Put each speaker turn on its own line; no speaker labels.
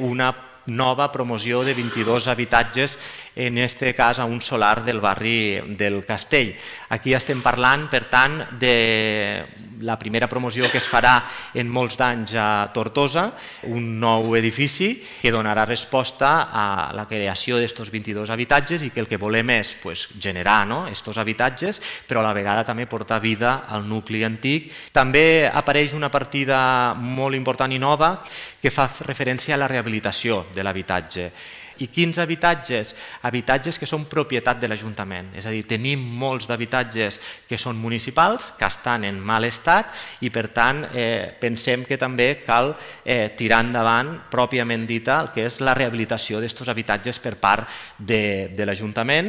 una nova promoció de 22 habitatges, en aquest cas a un solar del barri del Castell. Aquí estem parlant, per tant, de la primera promoció que es farà en molts d'anys a Tortosa, un nou edifici que donarà resposta a la creació d'aquests 22 habitatges i que el que volem és generar aquests habitatges, però a la vegada també portar vida al nucli antic. També apareix una partida molt important i nova que fa referència a la rehabilitació de l'habitatge. I quins habitatges? Habitatges que són propietat de l'Ajuntament. És a dir, tenim molts d'habitatges que són municipals, que estan en mal estat i per tant pensem que també cal tirar endavant pròpiament dita el que és la rehabilitació d'aquests habitatges per part de l'Ajuntament